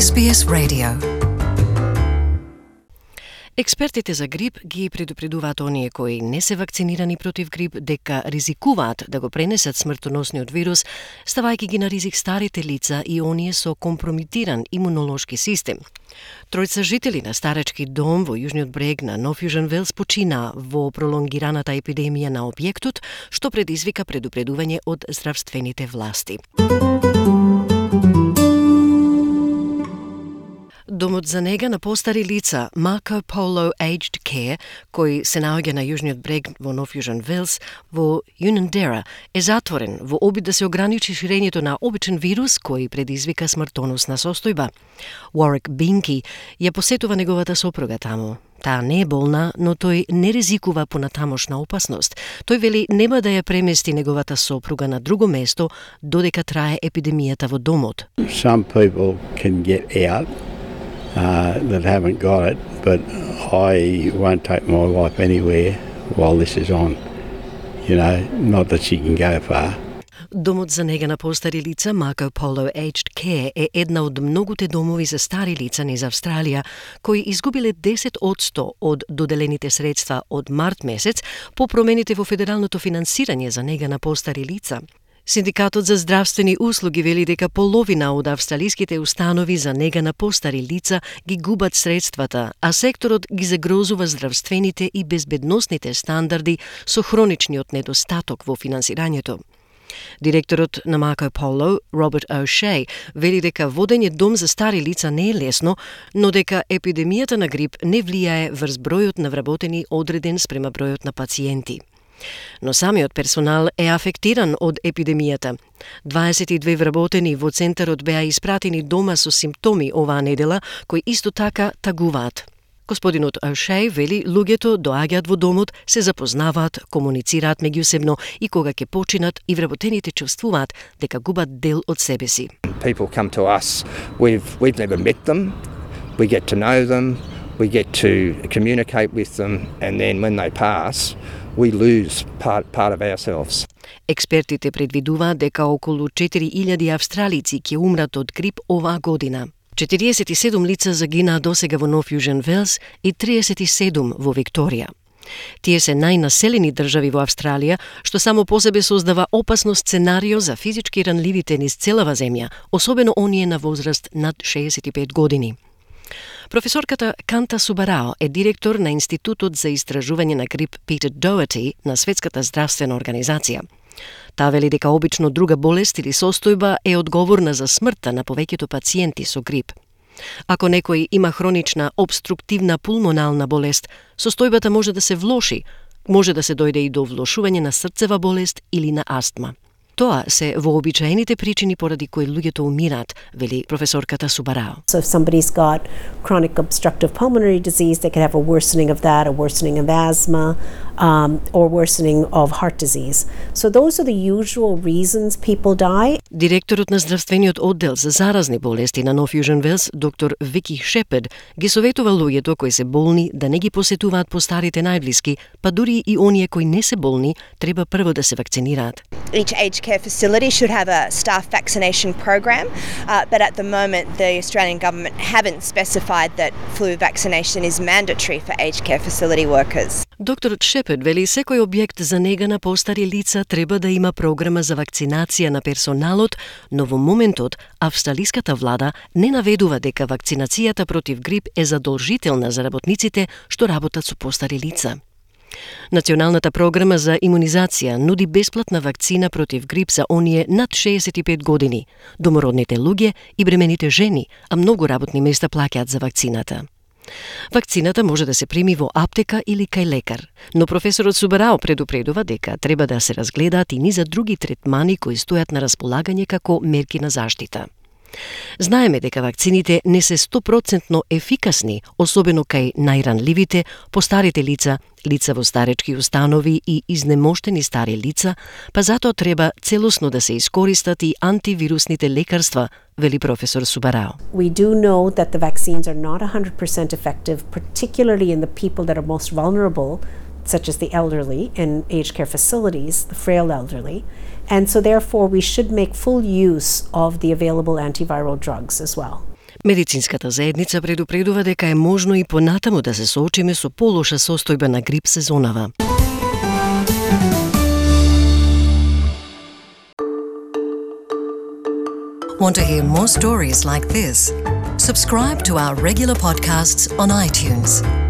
SBS Radio. Експертите за грип ги предупредуваат оние кои не се вакцинирани против грип дека ризикуваат да го пренесат смртоносниот вирус, ставајќи ги на ризик старите лица и оние со компрометиран имунолошки систем. Тројца жители на старечки дом во јужниот брег на Нов Јужен Велс почина во пролонгираната епидемија на објектот, што предизвика предупредување од здравствените власти. Домот за нега на постари лица Marco Polo Aged Care, кој се наоѓа на јужниот брег во Нов Јужен Велс, во Unanderra, е затворен во обид да се ограничи ширењето на обичен вирус кој предизвика смртоносна состојба. Warwick Binky ја посетува неговата сопруга таму. Таа не е болна, но тој не ризикува понатамошна опасност. Тој вели нема да ја премести неговата сопруга на друго место додека трае епидемијата во домот. Some people can get out that haven't got it, but I won't take my wife anywhere while this is on. You know, not that she can go far. Домот за нега на постари лица Marco Polo Aged Care е една од многуте домови за стари лица низ Австралија, кои изгубиле 10% од доделените средства од март месец по промените во федералното финансирање за нега на постари лица. Синдикатот за здравствени услуги вели дека половина од австралиските установи за нега на постари лица ги губат средствата, а секторот ги загрозува здравствените и безбедносните стандарди со хроничниот недостаток во финансирањето. Директорот на Marco Polo, Robert O'Shea, вели дека водење дом за стари лица не е лесно, но дека епидемијата на грип не влијае врз бројот на вработени одреден спрема бројот на пациенти. Но самиот персонал е афектиран од епидемијата. 22 вработени во центарот беа испратени дома со симптоми оваа недела, кои исто така тагуваат. Господинот O'Shea вели луѓето доаѓаат во домот, се запознаваат, комуницираат меѓусебно и кога ќе починат и вработените чувствуваат дека губат дел од себе си. People come to us, we've never met them, we get to know them, we get to communicate with them, and then when they pass, we lose part of ourselves. Експертите предвидуваат дека околу 4000 австралици ќе умрат од грип оваа година. 47 лица загинаа досега во Нов Јужен Велс и 37 во Викторија. Тие се најнаселени држави во Австралија, што само по себе создава опасно сценарио за физички ранливите низ целава земја, особено оние на возраст над 65 години. Професорката Канта Субарао е директор на Институтот за истражување на грип Питер Доерти на Светската здравствена организација. Таа вели дека обично друга болест или состојба е одговорна за смртта на повеќето пациенти со грип. Ако некој има хронична обструктивна пулмонална болест, состојбата може да се влоши, може да се дојде и до влошување на срцева болест или на астма. Тоа се вообичаените причини поради кои луѓето умираат, вели професорката Субарао. So if somebody's got chronic obstructive pulmonary disease, they could have a worsening of that, a worsening of asthma, or worsening of heart disease. So those are the usual reasons people die. Директорот на здравствениот оддел за заразни болести на Нов Јужен Велс, доктор Вики Шепард, ги советува луѓето кои се болни да не ги посетуваат постарите најблиски, па дури и оние кои не се болни, треба прво да се вакцинираат. Each aged care facility should have a staff vaccination program, but at the moment the Australian government haven't specified that flu vaccination is mandatory for aged care facility workers. Докторот Шепард вели секој објект за нега на постари лица треба да има програма за вакцинација на персоналот, но во моментот австралиската влада не наведува дека вакцинацијата против грип е задолжителна за работниците што работат со постари лица. Националната програма за имунизација нуди бесплатна вакцина против грип за оние над 65 години, домородните луѓе и бремените жени, а многу работни места плаќаат за вакцината. Вакцината може да се прими во аптека или кај лекар, но професорот Субарао предупредува дека треба да се разгледаат и низа други третмани кои стојат на располагање како мерки на заштита. Знаеме дека вакцините не се 100% ефикасни, особено кај најранливите, постарите лица, лица во старечки установи и изнемоштени стари лица, па затоа треба целосно да се искористат и антивирусните лекарства, вели професор Субарао. We do know that the vaccines are not 100% effective, particularly in the people that are most vulnerable, such as the elderly in aged care facilities, the frail elderly. And so therefore we should make full use of the available antiviral drugs as well. Медицинската заедница предупредува дека е можно и понатаму да се соочиме со полоша состојба на грип сезонава. Want to hear more stories like this? Subscribe to our regular podcasts on iTunes.